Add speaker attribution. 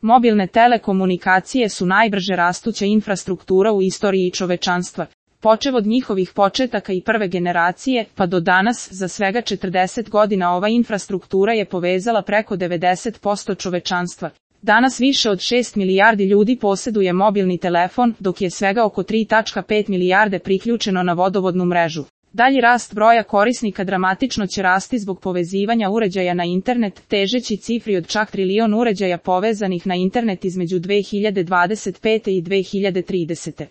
Speaker 1: Mobilne telekomunikacije su najbrže rastuća infrastruktura u istoriji čovečanstva. Počev od njihovih početaka i prve generacije, pa do danas, za svega 40 godina ova infrastruktura je povezala preko 90% čovečanstva. Danas više od 6 milijardi ljudi posjeduje mobilni telefon, dok je svega oko 3,5 milijarde priključeno na vodovodnu mrežu. Dalji rast broja korisnika dramatično će rasti zbog povezivanja uređaja na internet, težeći cifri od čak trilion uređaja povezanih na internet između 2025. i 2030.